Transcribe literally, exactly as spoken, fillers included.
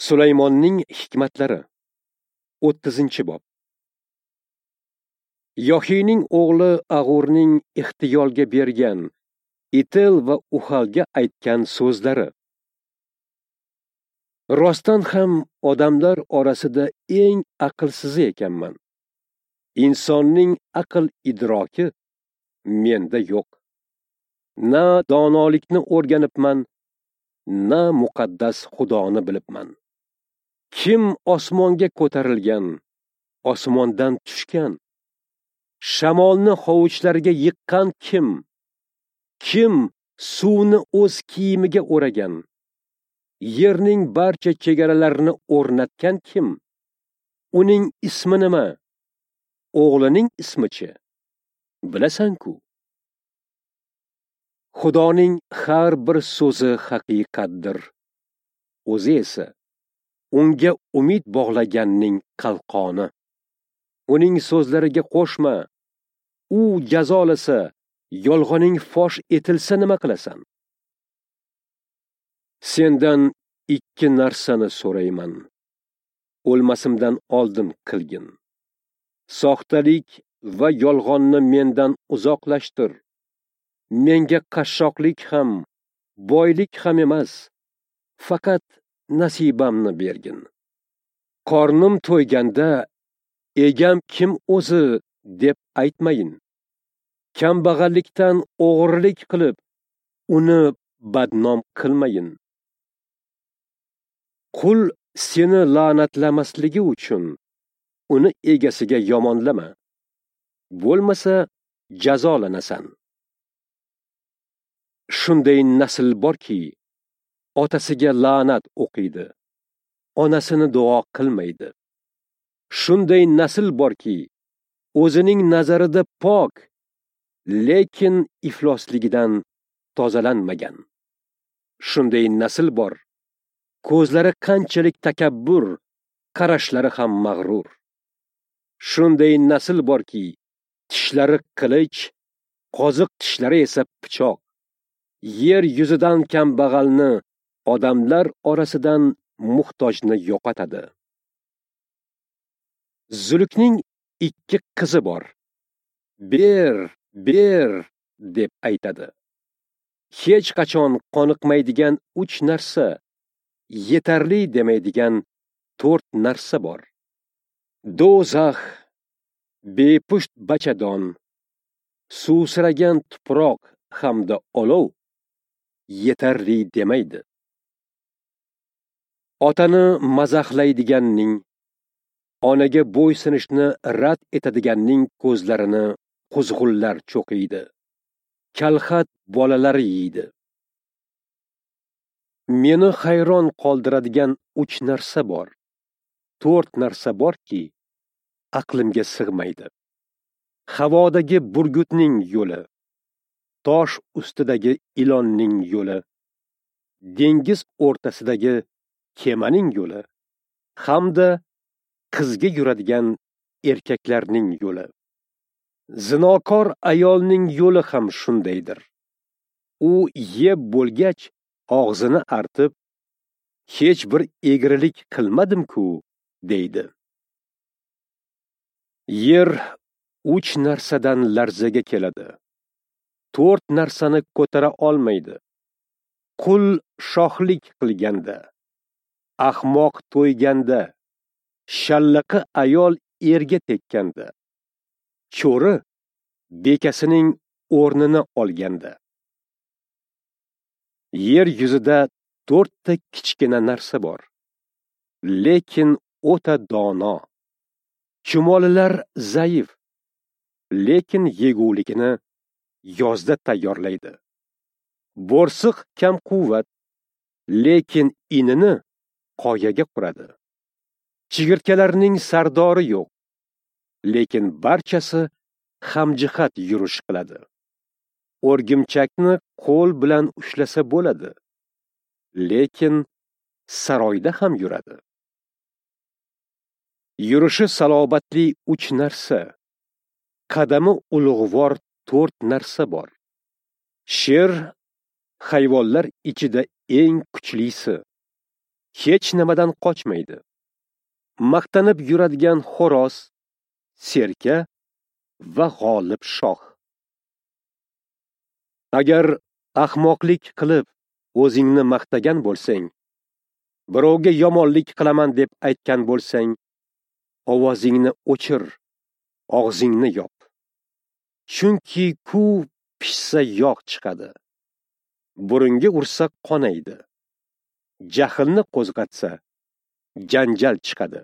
Sulaymonning hikmatlari, o'ttizinchi bob. Yohiyning o'g'li Ag'urning Ixtiyolga bergan, Itel va Uhalga aytgan so'zlari. Rostdan ham odamlar orasida eng aqlsizi ekanman. Insonning aql idroki menda yo'q. Na donolikni o'rganibman, na muqaddas Xudoni bilibman. Kim osmonga ko'tarilgan, osmondan tushgan? Shamolni hovuchlariga yiqqan kim? Kim suvni o'z kiyimiga o'ragan? Yerning barcha chegaralarini o'rnatgan kim? Uning ismi nima? O'g'lining ismichi? Bilasan-ku. Xudoning har bir so'zi haqiqatdir. O'zi esa unga umid bog'laganning qalqoni. Uning so'zlariga qo'shma. U jazolasa, yolg'oning fosh etilsa nima qilasan? Sendan ikki narsani so'rayman. O'lmasimdan oldin qilgin. Soxtalik va yolg'onni mendan uzoqlashtir. Menga qashshoqlik ham, boylik ham emas, faqat nasibamni bergin. Qornim to'yganda egam kim o'zi deb aytmayin. Kambag'allikdan o'g'irlik qilib, uni badnom qilmayin. Qul seni la'natlamasligi uchun uni egasiga yomonlama. Bo'lmasa jazolanasan. Shunday nasl borki, otasiga la'nat o'qiydi, onasini duo qilmaydi. Shunday nasl borki, o'zining nazarida pok, lekin iflosligidan tozalanmagan. Shunday nasl bor, ko'zlari qanchalik takabbur, qarashlari ham mag'rur. Shunday nasl borki, tishlari qilich, qoziq tishlari esa pichoq. Yer yuzidan kambag'alni, odamlar orasidan muhtojni yo'qotadi. Zulukning ikki qizi bor. Ber, ber deb aytadi. Hech qachon qoniqmaydigan uch narsa, yetarli demaydigan to'rt narsa bor. Do'zax, bepusht bachadon, suvsiragan tuproq hamda olov yetarli demaydi. Otani mazaxlaydiganning, onaga bo'ysunishni rad etadiganning ko'zlarini quzg'unlar cho'qiydi. Kalxat bolalari yeydi. Meni hayron qoldiradigan uch narsa bor. To'rt narsa borki, aqlimga sig'maydi. Havodagi burgutning yo'li, tosh ustidagi ilonning yo'li, dengiz o'rtasidagi kemaning yo'li hamda qizga yuradigan erkaklarning yo'li. Zinokor ayolning yo'li ham shundaydir. U yeb bo'lgach og'zini artib, hech bir egrilik qilmadim-ku, deydi. Yer uch narsadan larzaga keladi. To'rt narsani ko'tara olmaydi. Qul shohlik qilganda, ahmoq to'yganda, shallaqi ayol erga tekkanda, cho'ri bekasining o'rnini olganda. Yer yuzida to'rtta kichkina narsa bor, lekin o'ta dono. Chumolilar zaif, lekin yegulikni yozda tayyorlaydi. Bo'rsiq kam quvvat, lekin inini qoyaga quradi. Chigirtkalarning sardori yo'q, lekin barchasi hamjihat yurish qiladi. O'rgimchakni qo'l bilan ushlasa bo'ladi, lekin saroyda ham yuradi. Yurishi salobatli uch narsa, qadami ulug'vor to'rt narsa bor. Sher hayvonlar ichida eng kuchlisi. hech nimadan qochmaydi. Maqtanib yuradigan xo'roz, serka va g'olib shoh. Agar ahmoqlik qilib o'zingni maqtagan bo'lsang, birovga yomonlik qilaman deb aytgan bo'lsang, ovozingni o'chir, og'zingni yop. Chunki kuv pishsa yog' chiqadi. Burunga ursa qonaydi. Jahlni qo'zg'atsa janjal chiqadi.